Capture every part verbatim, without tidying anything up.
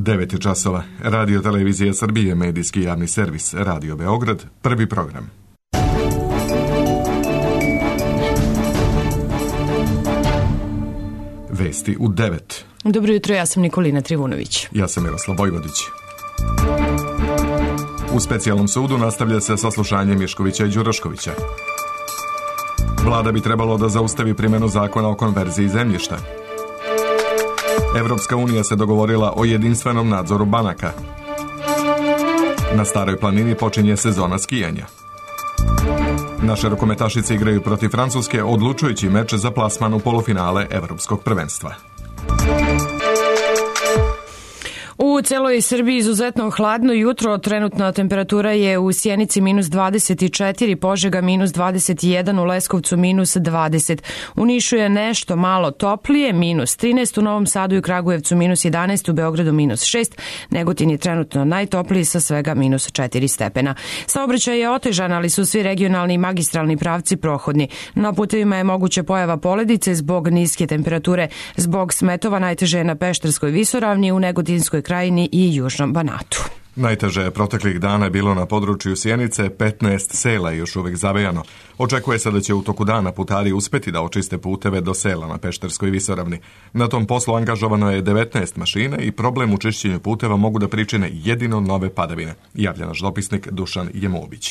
devet časova. Radio Televizija Srbije, medijski javni servis, Radio Beograd, prvi program. Vesti u devet. Dobro jutro, ja sam Nikolina Trivunović. Ja sam Miroslav Vojvodić. U specijalnom sudu nastavlja se saslušanje Miškovića i Đuroškovića. Vlada bi trebalo da zaustavi primjenu zakona o konverziji zemljišta. Evropska unija se dogovorila o jedinstvenom nadzoru banaka. Na Staroj planini počinje sezona skijanja. Naše rukometašice igraju protiv Francuske odlučujući meč za plasman u polufinale Evropskog prvenstva. U celoj Srbiji izuzetno hladno jutro, trenutna temperatura je u Sjenici minus dvadeset četiri, Požega minus dvadeset jedan, u Leskovcu minus dvadeset. U Nišu je nešto malo toplije, minus trinaest, u Novom Sadu i Kragujevcu minus jedanaest, u Beogradu minus šest, Negotin je trenutno najtopliji sa svega minus četiri stepena. Saobraćaj je otežan, ali su svi regionalni i magistralni pravci prohodni. Na putevima je moguća pojava poledice zbog niske temperature. Zbog smetova najteže je na Pešterskoj visoravni, u Negotinskoj krajini i Južnom Banatu. Najteže je proteklih dana bilo na području Sjenice, petnaest sela je još uvek zavejano. Očekuje se da će u toku dana putari uspeti da očiste puteve do sela na Pešterskoj visoravni. Na tom poslu angažovano je devetnaest mašina i problem u čišćenju puteva mogu da pričine jedino nove padavine, javlja naš dopisnik Dušan Jemobić.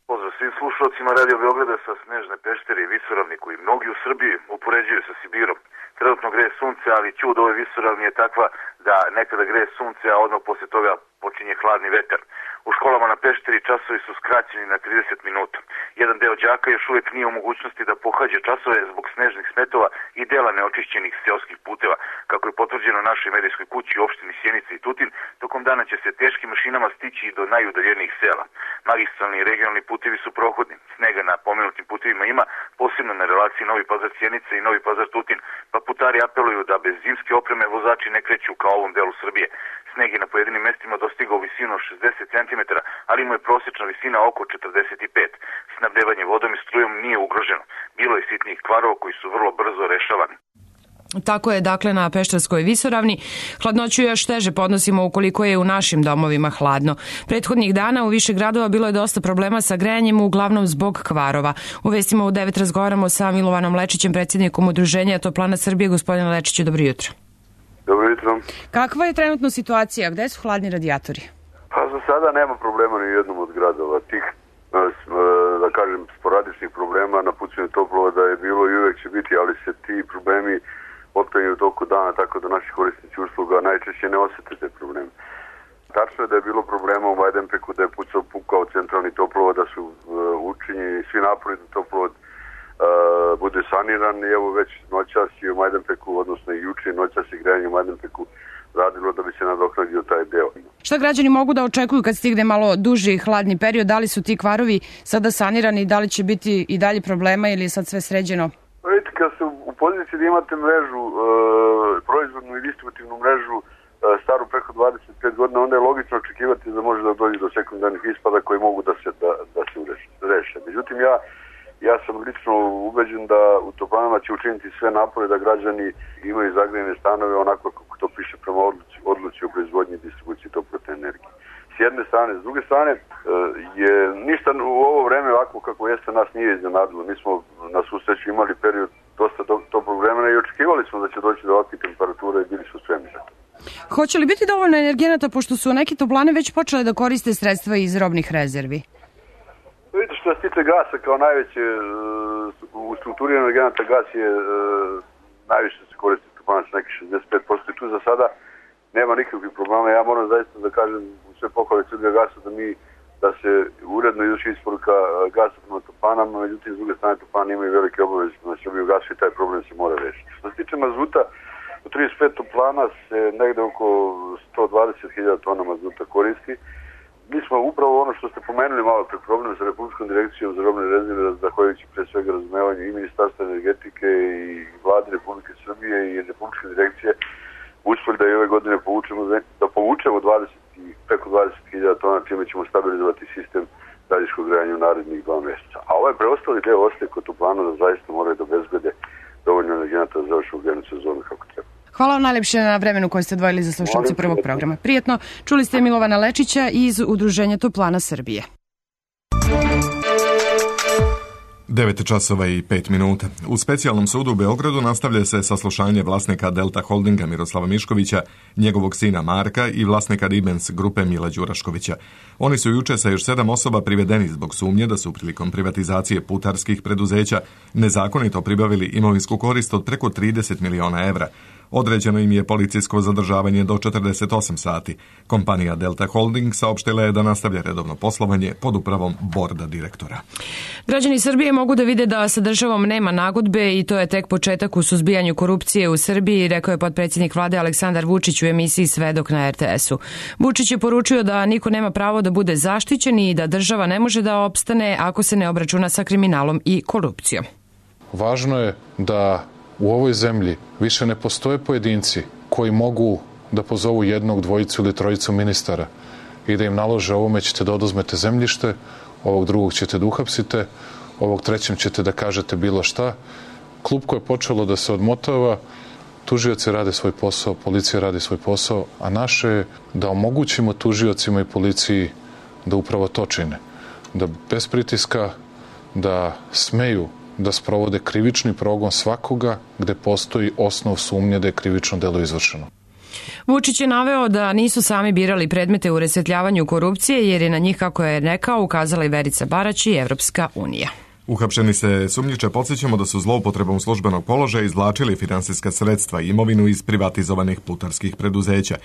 Pozdrav svim slušalcima Radio Beograda sa Snežne Peštere i visoravni koji mnogi u Srbiji upoređuju sa Sibirom. Trenutno greje sunce, ali čud ove visoravni je takva da nekada greje sunce, a odmah poslije toga počinje hladni vetar. U školama na Pešteri časovi su skraćeni na trideset minuta. Jedan deo đaka još uvijek nije u mogućnosti da pohađa časove zbog snežnih smetova i dela neočišćenih seoskih puteva. Kako je potvrđeno našoj medijskoj kući u opštini Sjenica i Tutin, tokom dana će se teškim mašinama stići i do najudaljenijih sela. Magistralni i regionalni putevi su prohodni. Snega na pomenutim putevima ima, posebno na relaciji Novi Pazar-Sjenica i Novi Pazar-Tutin, pa putari apeluju da bez zimske opreme vozači ne kreću ka ovom delu Srbije. Sneg je na pojedinim mestima dostigao visinu šezdeset centimetara, ali mu je prosječna visina oko četrdeset pet. Snabdevanje vodom i strujom nije ugroženo. Bilo je sitnih kvarova koji su vrlo brzo rešavani. Tako je dakle na Pešterskoj visoravni. Hladnoću još teže podnosimo ukoliko je u našim domovima hladno. Prethodnih dana u više gradova bilo je dosta problema sa grejanjem, uglavnom zbog kvarova. U vestima u devet razgovaramo sa Milovanom Lečićem, predsjednikom Udruženja Toplana Srbije. Gospodine Lečiću, dobro jutro. Dobro jutro. Kakva je trenutno situacija? Gde su hladni radijatori? Pa za sada nema problema ni u jednom od gradova. Tih, da kažem, sporadičnih problema na pucanju toplovoda je bilo i uvek će biti, ali se ti problemi otklanjaju u toku dana, tako da naši korisnici usluga najčešće ne osete te probleme. Tačno je da je bilo problema u Majdanpeku, da je pucao pukao centralni toplovod, da su uh, učinjeni svi napori da toplovod uh, bude saniran i evo već noćas i u Majdanpeku, odnosno i juče noćas i grejanje u Majdanpeku radilo da bi se nadoknadio taj deo. Šta građani mogu da očekuju kad stigne malo duži hladni period? Da li su ti kvarovi sada sanirani, da li će biti i dalje problema ili je sad sve sređeno? Vidite, kad ste u poziciji da imate mrežu, e, proizvodnu i distributivnu mrežu e, staru preko dvadeset pet godina, onda je logično očekivati da može da dođe do sekundarnih ispada koji mogu da se, da, da se reše. Međutim, ja, ja sam lično ubeđen da u Toplanama će učiniti sve napore da građani imaju zagrejene stanove onako kako to piše prema odluci, odluci o proizvodnji i distribuciji toplotne energije. S jedne strane, s druge strane, je ništa u ovo vreme ovako kako jeste nas nije iznenadilo. Mi smo na susreću imali period dosta toplog vremena i očekivali smo da će doći do ovakve temperature i bili su spremni za to. Hoće li biti dovoljno energenata, pošto su neke toplane već počele da koriste sredstva iz robnih rezervi? Vidite, što se tiče gasa kao najveće, u strukturi energenata gas je najviše se koristi toplana sa nekih šezdeset pet posto i tu za sada nema nikakvih problema. Ja moram zaista da kažem u sve pohvale Srbija gasa da mi da se uredno izvrši isporuka gasa prema toplanama, međutim s druge strane toplane imaju velike obaveze na Srbiju gasu i taj problem se mora rešiti. Što se tiče mazuta, u trideset pet toplana se negde oko sto dvadeset hiljada tona mazuta koristi. Mi smo upravo ono što ste pomenuli malo pre problem sa Republičkom direkcijom za robne rezerve, zahvaljujući pre svega razumevanju i Ministarstva energetike i Vlade Republike Srbije i Republičke direkcije, uspeli da i ove godine povučemo, da povučemo dvadeset, preko dvadeset hiljada tona, čime ćemo stabilizovati sistem daljinskog grejanja u narednih dva mjeseca. A ovaj preostali deo ostaje kod toplana da zaista moraju da obezbede dovoljno energenata za završenu grejnu sezonu kako treba. Hvala vam najlepše na vremenu koje ste odvojili za slušalce prvog programa. Prijetno, čuli ste Milovana Lečića iz Udruženja Toplana Srbije. devet časova i pet minuta. U specijalnom sudu u Beogradu nastavlja se saslušanje vlasnika Delta Holdinga Miroslava Miškovića, njegovog sina Marka i vlasnika Ribens grupe Mila Đuraškovića. Oni su juče sa još sedam osoba privedeni zbog sumnje da su prilikom privatizacije putarskih preduzeća nezakonito pribavili imovinsku korist od preko trideset miliona evra. Određeno im je policijsko zadržavanje do četrdeset osam sati. Kompanija Delta Holding saopštila je da nastavlja redovno poslovanje pod upravom borda direktora. Građani Srbije mogu da vide da sa državom nema nagodbe i to je tek početak u suzbijanju korupcije u Srbiji, rekao je potpredsjednik vlade Aleksandar Vučić u emisiji Svedok na er te esu. Vučić je poručio da niko nema pravo da bude zaštićen i da država ne može da opstane ako se ne obračuna sa kriminalom i korupcijom. Važno je da u ovoj zemlji više ne postoje pojedinci koji mogu da pozovu jednog, dvojicu ili trojicu ministara i da im nalože ovome ćete da oduzmete zemljište, ovog drugog ćete da uhapsite, ovog trećem ćete da kažete bilo šta. Klupko je počelo da se odmotava, tužioci rade svoj posao, policija radi svoj posao, a naše je da omogućimo tužiocima i policiji da upravo to čine. Da bez pritiska, da smeju da sprovode krivični progon svakoga gde postoji osnov sumnje da je krivično delo izvršeno. Vučić je naveo da nisu sami birali predmete u rasvetljavanju korupcije jer je na njih, kako je rekao, ukazala i Verica Barać i Evropska unija. Uhapšeni se sumnjiče podsjećamo da su zloupotrebom službenog položaja izvlačili finansijska sredstva i imovinu iz privatizovanih putarskih preduzeća.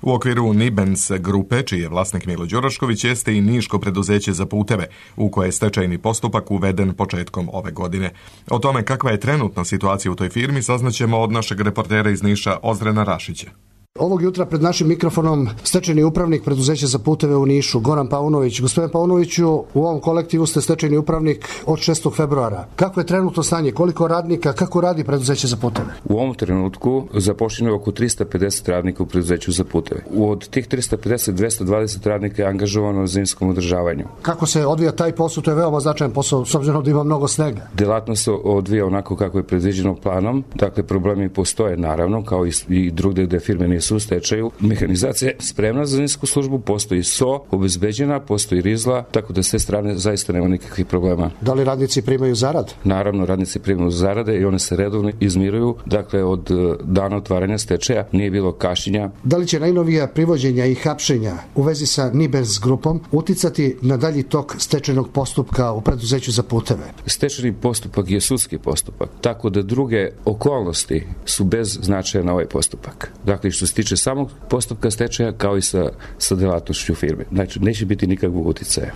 U okviru Nibens grupe, čiji je vlasnik Milo Đurašković, jeste i niško preduzeće za puteve, u koje je stečajni postupak uveden početkom ove godine. O tome kakva je trenutna situacija u toj firmi saznaćemo od našeg reportera iz Niša Ozrena Rašića. Ovog jutra pred našim mikrofonom stečajni upravnik preduzeća za puteve u Nišu, Goran Paunović. Gospodine Paunoviću, u ovom kolektivu ste stečajni upravnik od šestog februara. Kako je trenutno stanje? Koliko radnika? Kako radi preduzeće za puteve? U ovom trenutku zapošljeno je oko trista pedeset radnika u preduzeću za puteve. Od tih trista pedeset, dvesta dvadeset radnika je angažovano na zimskom održavanju. Kako se odvija taj posao? To je veoma značajan posao, s obzirom da ima mnogo snega. Delatnost se odvija onako kako je predviđeno planom. Dakle, problemi postoje naravno, kao i drugde gde firme nisu u stečaju. Mehanizacija je spremna za zimsku službu, postoji S O, obezbeđena, postoji rizla, tako da s te strane zaista nema nikakvih problema. Da li radnici primaju zarad? Naravno, radnici primaju zarade i one se redovno izmiruju. Dakle, od dana otvaranja stečaja nije bilo kašnjenja. Da li će najnovija privođenja i hapšenja u vezi sa Nibens grupom uticati na dalji tok stečajnog postupka u preduzeću za puteve? Stečajni postupak je sudski postupak, tako da druge okolnosti su bez značaja na ovaj postupak. Dakle, što se tiče samog postupka stečaja kao i sa, sa delatnošću firme. Znači, neće biti nikakvog uticaja.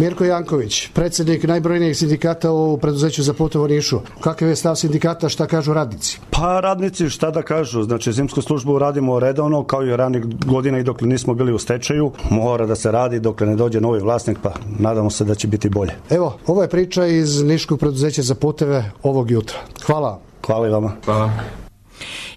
Mirko Janković, predsjednik najbrojnijih sindikata u preduzeću za puteve u Nišu. Kakav je stav sindikata, šta kažu radnici? Pa radnici šta da kažu, znači zimsku službu radimo redovno kao i ranih godina i dokle nismo bili u stečaju. Mora da se radi dokle ne dođe novi vlasnik, pa nadamo se da će biti bolje. Evo, ovo je priča iz Niškog preduzeća za puteve ovog jutra. Hvala. Hvala i vama. Hvala.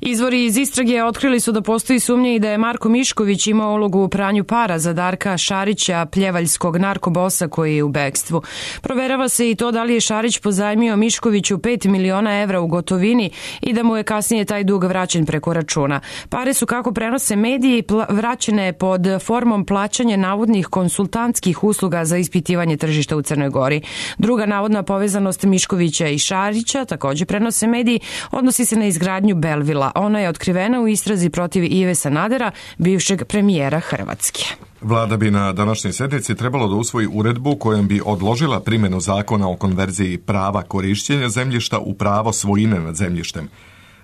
Izvori iz istrage otkrili su da postoji sumnja i da je Marko Mišković imao ulogu u pranju para za Darka Šarića, pljevaljskog narkobosa koji je u bekstvu. Proverava se i to da li je Šarić pozajmio Miškoviću pet miliona evra u gotovini i da mu je kasnije taj dug vraćen preko računa. Pare su, kako prenose mediji, vraćene pod formom plaćanja navodnih konsultantskih usluga za ispitivanje tržišta u Crnoj Gori. Druga navodna povezanost Miškovića i Šarića, takođe prenose mediji, odnosi se na izgradnju Belvila. Ona je otkrivena u istrazi protiv Ive Sanadera, bivšeg premijera Hrvatske. Vlada bi na današnjoj sjednici trebalo da usvoji uredbu kojom bi odložila primjenu zakona o konverziji prava korišćenja zemljišta u pravo svojine nad zemljištem.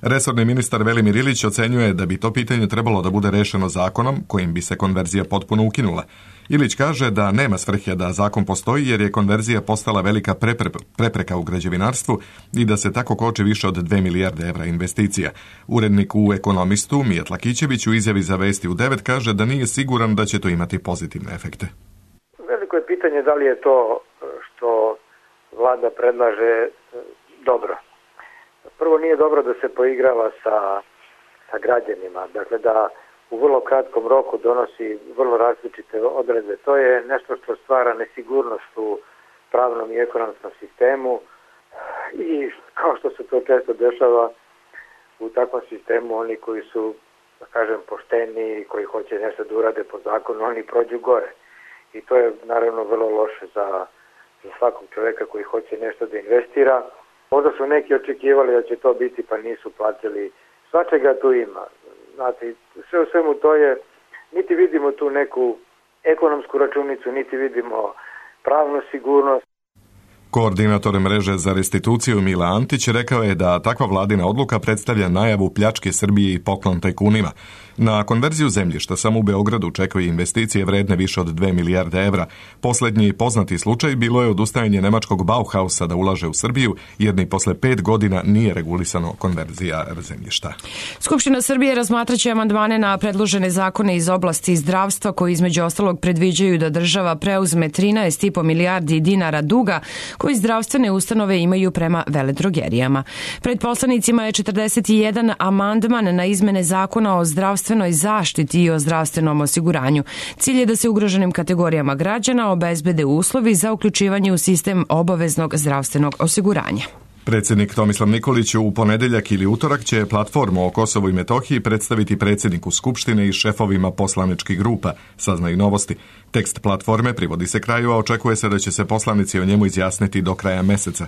Resorni ministar Velimir Ilić ocenjuje da bi to pitanje trebalo da bude rešeno zakonom kojim bi se konverzija potpuno ukinula. Ilić kaže da nema svrhe da zakon postoji jer je konverzija postala velika prepreka u građevinarstvu i da se tako koči više od dve milijarde evra investicija. Urednik u Ekonomistu Mijat Lakićević u izjavi za Vesti u devet kaže da nije siguran da će to imati pozitivne efekte. Veliko je pitanje da li je to što vlada predlaže dobro. Prvo, nije dobro da se poigrava sa, sa građanima, dakle da u vrlo kratkom roku donosi vrlo različite odredbe. To je nešto što stvara nesigurnost u pravnom i ekonomskom sistemu i kao što se to često dešava u takvom sistemu oni koji su, da kažem, pošteni, koji hoće nešto da urade po zakonu, oni prođu gore. I to je naravno vrlo loše za, za svakog čoveka koji hoće nešto da investira. Možda su neki očekivali da će to biti, pa nisu platili. Svačega tu ima. Znate, sve u svemu to je, niti vidimo tu neku ekonomsku računicu, niti vidimo pravnu sigurnost. Koordinator mreže za restituciju Mila Antić rekao je da takva vladina odluka predstavlja najavu pljačke Srbije i poklon tajkunima. Na konverziju zemljišta samo u Beogradu čekaju investicije vredne više od dve milijarde evra. Poslednji poznati slučaj bilo je odustajanje nemačkog Bauhausa da ulaže u Srbiju, jer ni posle pet godina nije regulisano konverzija zemljišta. Skupština Srbije razmatraće amandmane na predložene zakone iz oblasti zdravstva koji između ostalog predviđaju da država preuzme trinaest i po milijardi dinara duga koji zdravstvene ustanove imaju prema veledrogerijama. Pred poslanicima je četrdeset jedan amandman na izmene zakona o zdravstvenoj zaštiti i o zdravstvenom osiguranju. Cilj je da se ugroženim kategorijama građana obezbede uslovi za uključivanje u sistem obaveznog zdravstvenog osiguranja. Predsjednik Tomislav Nikolić u ponedeljak ili utorak će platformu o Kosovu i Metohiji predstaviti predsjedniku Skupštine i šefovima poslaničkih grupa, saznaju Novosti. Tekst platforme privodi se kraju, a očekuje se da će se poslanici o njemu izjasniti do kraja meseca.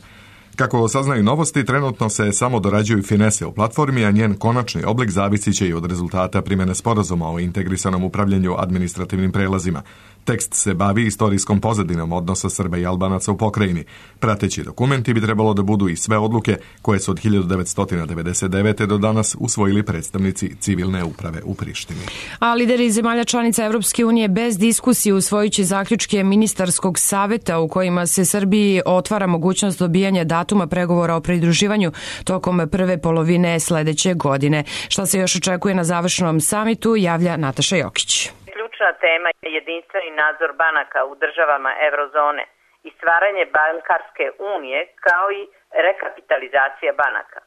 Kako saznaju Novosti, trenutno se samo dorađuju finese u platformi, a njen konačni oblik zavisit će i od rezultata primjene sporazuma o integrisanom upravljanju administrativnim prelazima. Tekst se bavi istorijskom pozadinom odnosa Srba i Albanaca u pokrajini. Prateći dokumenti bi trebalo da budu i sve odluke koje su od hiljadu devetsto devedeset devete. do danas usvojili predstavnici civilne uprave u Prištini. A lideri zemalja članica Evropske unije bez diskusije usvojući zaključke ministarskog saveta u kojima se Srbiji otvara mogućnost dobijanja datuma pregovora o pridruživanju tokom prve polovine sledeće godine. Šta se još očekuje na završnom samitu, javlja Nataša Jokić. Ključna tema je jedinstveni nadzor banaka u državama eurozone i stvaranje bankarske unije kao i rekapitalizacija banaka.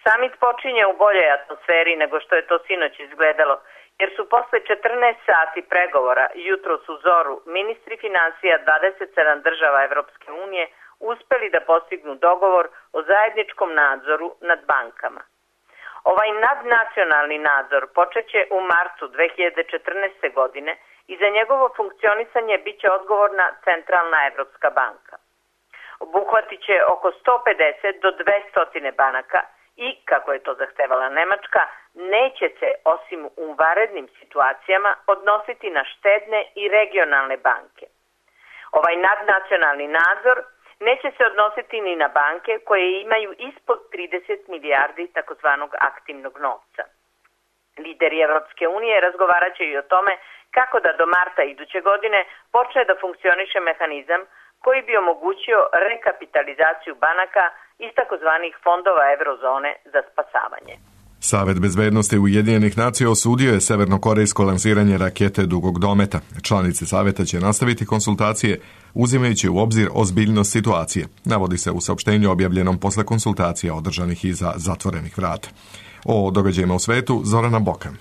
Samit počinje u boljoj atmosferi nego što je to sinoć izgledalo, jer su posle četrnaest sati pregovora jutros u zoru ministri finansija dvadeset sedam država Evropske unije uspeli da postignu dogovor o zajedničkom nadzoru nad bankama. Ovaj nadnacionalni nadzor počeće u martu dve hiljade četrnaeste. godine i za njegovo funkcionisanje biće odgovorna Centralna Evropska banka. Obuhvatit će oko sto pedeset do dvesta banaka i, kako je to zahtevala Nemačka, neće se, osim u vanrednim situacijama, odnositi na štedne i regionalne banke. Ovaj nadnacionalni nadzor neće se odnositi ni na banke koje imaju ispod trideset milijardi takozvanog aktivnog novca. Lideri Evropske unije razgovarat će i o tome kako da do marta iduće godine počne da funkcioniše mehanizam koji bi omogućio rekapitalizaciju banaka iz takozvanih fondova eurozone za spasavanje. Savet bezbednosti Ujedinjenih nacija osudio je severnokorejsko lansiranje rakete dugog dometa. Članice saveta će nastaviti konsultacije uzimajući u obzir ozbiljnost situacije, navodi se u saopštenju objavljenom posle konsultacija održanih iza zatvorenih vrata. O događajima u svetu, Zorana Bokan.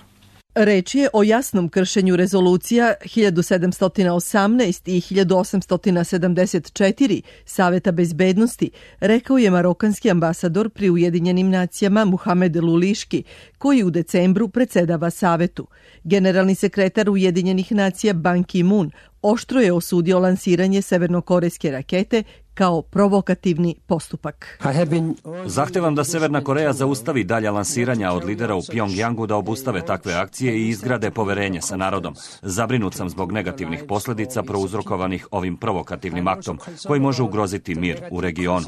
Reč je o jasnom kršenju rezolucija hiljadu sedamsto osamnaest i hiljadu osamsto sedamdeset četiri Saveta bezbednosti, rekao je marokanski ambasador pri Ujedinjenim nacijama Muhamed Luliški, koji u decembru predsedava Savetu. Generalni sekretar Ujedinjenih nacija Ban Ki-moon oštro je osudio lansiranje severnokorejske rakete kao provokativni postupak. Zahtevam da Severna Koreja zaustavi dalja lansiranja od lidera u Pjongjangu da obustave takve akcije i izgrade poverenje sa narodom. Zabrinut sam zbog negativnih posljedica prouzrokovanih ovim provokativnim aktom koji može ugroziti mir u regionu.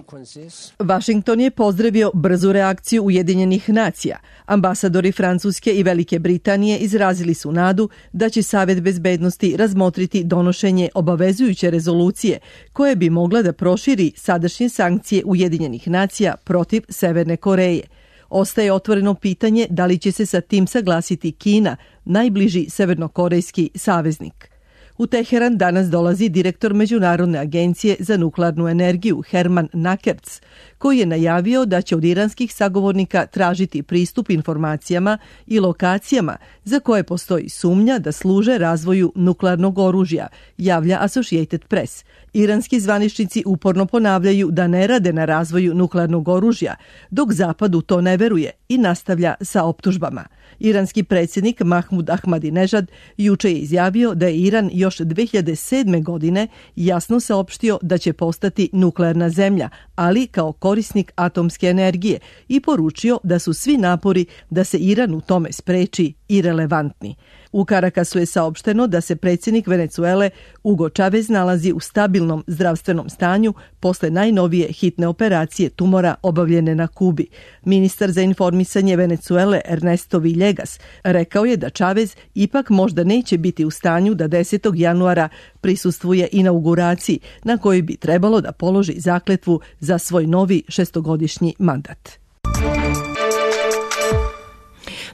Vašington je pozdravio brzu reakciju Ujedinjenih nacija. Ambasadori Francuske i Velike Britanije izrazili su nadu da će Savet bezbednosti razmotriti donošenje obavezujuće rezolucije koje bi mogla da proširi sadašnje sankcije Ujedinjenih nacija protiv Severne Koreje. Ostaje otvoreno pitanje da li će se sa tim saglasiti Kina, najbliži severnokorejski saveznik. U Teheran danas dolazi direktor Međunarodne agencije za nuklearnu energiju Herman Nakerc, koji je najavio da će od iranskih sagovornika tražiti pristup informacijama i lokacijama za koje postoji sumnja da služe razvoju nuklearnog oružja, javlja Associated Press. Iranski zvaničnici uporno ponavljaju da ne rade na razvoju nuklearnog oružja, dok Zapad u to ne veruje i nastavlja sa optužbama. Iranski predsjednik Mahmud Ahmadinejad juče je izjavio da je Iran još dve hiljade sedme. godine jasno saopštio da će postati nuklearna zemlja, ali kao korisnik atomske energije, i poručio da su svi napori da se Iran u tome spreči irelevantni. U Karakasu je saopšteno da se predsjednik Venecuele Hugo Chavez nalazi u stabilnom zdravstvenom stanju posle najnovije hitne operacije tumora obavljene na Kubi. Ministar za informisanje Venecuele Ernesto Villegas rekao je da Chavez ipak možda neće biti u stanju da desetog januara prisustvuje inauguraciji na kojoj bi trebalo da položi zakletvu za svoj novi šestogodišnji mandat.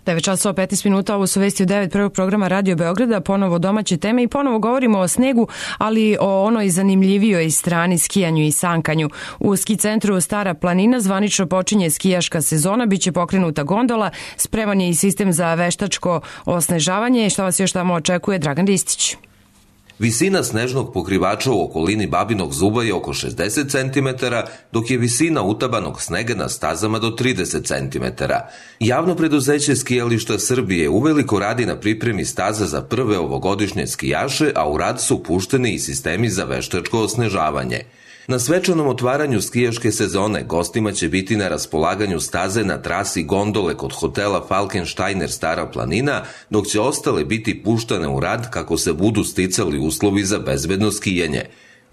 devet časova petnaest minuta, ovo su vesti u devet prvog programa Radio Beograda, ponovo domaće teme i ponovo govorimo o snegu, ali o onoj zanimljivijoj strani, skijanju i sankanju. U ski centru Stara planina zvanično počinje skijaška sezona, biće pokrenuta gondola, spreman je i sistem za veštačko osnežavanje. Šta vas još tamo očekuje? Dragan Ristić. Visina snežnog pokrivača u okolini Babinog Zuba je oko šezdeset centimetara, dok je visina utabanog snega na stazama do trideset centimetara. Javno preduzeće Skijališta Srbije uveliko radi na pripremi staza za prve ovogodišnje skijaše, a u rad su pušteni i sistemi za veštačko osnežavanje. Na svečanom otvaranju skijaške sezone gostima će biti na raspolaganju staze na trasi gondole kod hotela Falkensteiner Stara planina, dok će ostale biti puštane u rad kako se budu sticali uslovi za bezbedno skijanje.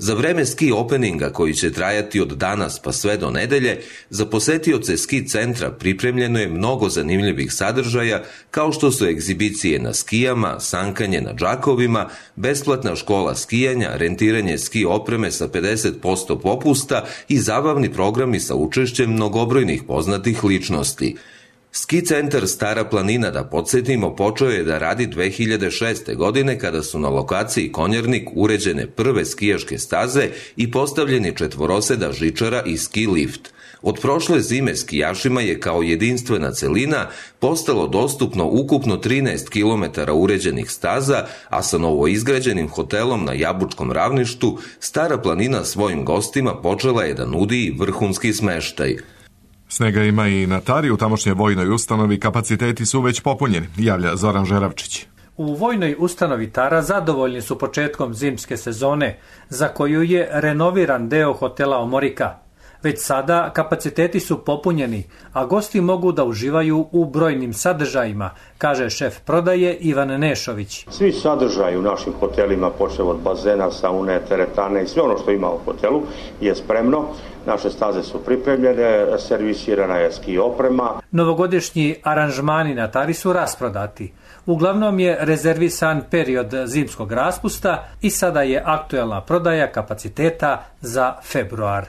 Za vreme ski openinga, koji će trajati od danas pa sve do nedelje, za posetioce ski centra pripremljeno je mnogo zanimljivih sadržaja, kao što su egzibicije na skijama, sankanje na džakovima, besplatna škola skijanja, rentiranje ski opreme sa pedeset posto popusta i zabavni programi sa učešćem mnogobrojnih poznatih ličnosti. Ski centar Stara planina, da podsjetimo, počeo je da radi dve hiljade šeste. godine kada su na lokaciji Konjarnik uređene prve skijaške staze i postavljeni četvoroseda žičara i ski lift. Od prošle zime skijašima je kao jedinstvena celina postalo dostupno ukupno trinaest kilometara uređenih staza, a sa novoizgrađenim hotelom na Jabučkom ravništu Stara planina svojim gostima počela je da nudi i vrhunski smeštaj. Snega ima i na Tari, u tamošnjoj vojnoj ustanovi kapaciteti su već popunjeni, javlja Zoran Žeravčić. U vojnoj ustanovi Tara zadovoljni su početkom zimske sezone, za koju je renoviran deo hotela Omorika. Već sada kapaciteti su popunjeni, a gosti mogu da uživaju u brojnim sadržajima, kaže šef prodaje Ivan Nešović. Svi sadržaji u našim hotelima, počev od bazena, saune, teretane i sve ono što ima u hotelu je spremno. Naše staze su pripremljene, servisirana je ski oprema. Novogodišnji aranžmani na Tari su rasprodati. Uglavnom je rezervisan period zimskog raspusta i sada je aktuelna prodaja kapaciteta za februar.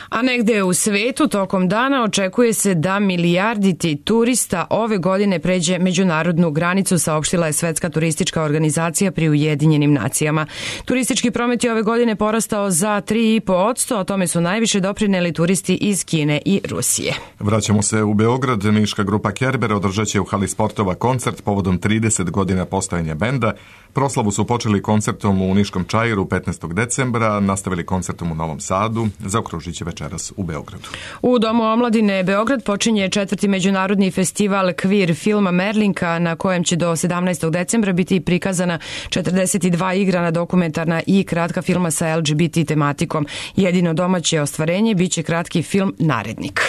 A negde u svetu tokom dana očekuje se da milijarditi turista ove godine pređe međunarodnu granicu, saopštila je Svetska turistička organizacija pri Ujedinjenim nacijama. Turistički promet je ove godine porastao za tri i po posto, o tome su najviše doprineli turisti iz Kine i Rusije. Vraćamo se u Beograd. Niška grupa Kerber održat će u hali sportova koncert povodom trideset godina postojanja benda. Proslavu su počeli koncertom u Niškom Čairu petnaestog decembra, nastavili koncertom u Novom Sadu, zaokružit će večeras u Beogradu. U Domu omladine Beograd počinje četvrti međunarodni festival Queer filma Merlinka, na kojem će do sedamnaestog decembra biti prikazana četrdeset dva igrana dokumentarna i kratka filma sa L G B T tematikom. Jedino domaće ostvarenje biće kratki film Narednik.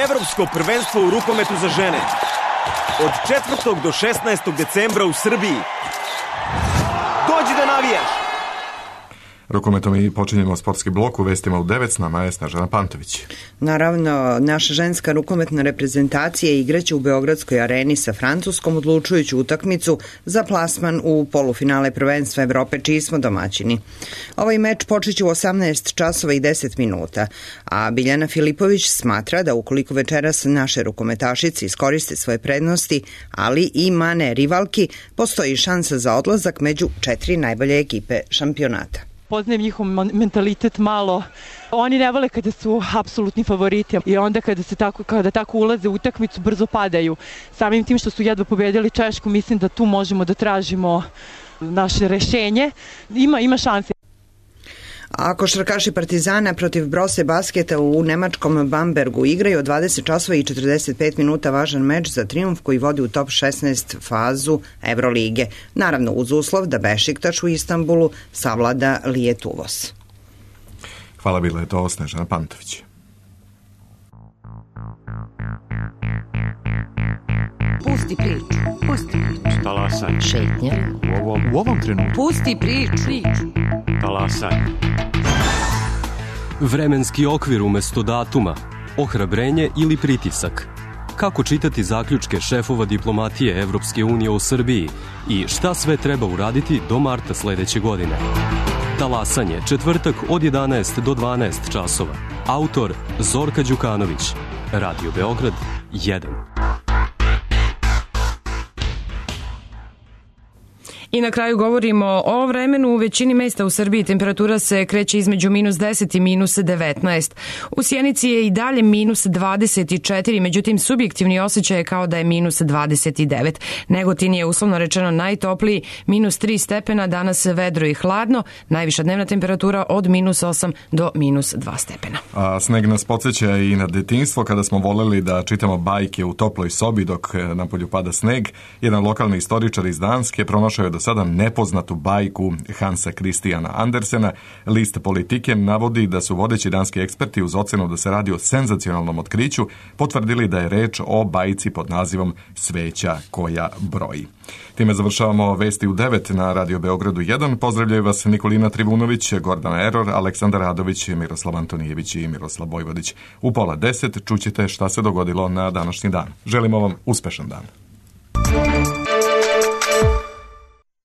Evropsko prvenstvo u rukometu za žene. Od četvrtog do šesnaestog decembra u Srbiji. Dođi da navijaš! Rukometom i počinjemo sportski blok u vestima u devet, s nama je Snežana Pantović. Naravno, naša ženska rukometna reprezentacija igraće u Beogradskoj areni sa Francuskom odlučujuću utakmicu za plasman u polufinale prvenstva Evrope, čiji smo domaćini. Ovaj meč počeće u osamnaest časova i deset minuta, a Biljana Filipović smatra da ukoliko večeras naše rukometašice iskoriste svoje prednosti, ali i mane rivalki, postoji šansa za odlazak među četiri najbolje ekipe šampionata. Poznajem njihov mentalitet malo. Oni ne vole kada su apsolutni favoriti i onda kada se tako kada tako ulaze u utakmicu brzo padaju. Samim tim što su jedva pobedili Češku, mislim da tu možemo da tražimo naše rešenje. Ima ima šanse. A košarkaši Partizana protiv Brose basketa u nemačkom Bambergu igraju od dvadeset časova i četrdeset pet minuta važan meč za trijumf koji vodi u top šesnaest fazu Evrolige. Naravno uz uslov da Bešiktaš u Istanbulu savlada Lijet Uvos. Hvala, bila je to Snežana Pantović. Pusti priču, pusti priču. Talasaj. Šetnja. U ovom, u ovom trenutku. Pusti priču. priču. Talasaj. Vremenski okvir umesto datuma, ohrabrenje ili pritisak. Kako čitati zaključke šefova diplomatije Evropske unije u Srbiji i šta sve treba uraditi do marta sledeće godine. Talasanje, četvrtak od jedanaest do dvanaest časova. Autor Zorka Đukanović. Radio Beograd jedan. I na kraju govorimo o vremenu. U većini mesta u Srbiji temperatura se kreće između minus deset i minus devetnaest. U Sjenici je i dalje minus dvadeset četiri, međutim subjektivni osjećaj je kao da je minus dvadeset devet. Negotin je uslovno rečeno najtopliji, minus tri stepena, danas vedro i hladno, najviša dnevna temperatura od minus osam do minus dva stepena. A sneg nas podsjeća i na detinjstvo kada smo voleli da čitamo bajke u toploj sobi dok napolju pada sneg. Jedan lokalni istoričar iz Danske pronašao je do sada nepoznatu bajku Hansa Christiana Andersena. List Politike navodi da su vodeći danski eksperti uz ocenu da se radi o senzacionalnom otkriću potvrdili da je reč o bajci pod nazivom Sveća koja broji. Time završavamo vesti u devet na Radio Beogradu jedan. Pozdravljaju vas Nikolina Trivunović, Gordana Eror, Aleksandar Radović, Miroslav Antonijević i Miroslav Bojvodić. U pola deset čućete šta se dogodilo na današnji dan. Želimo vam uspešan dan.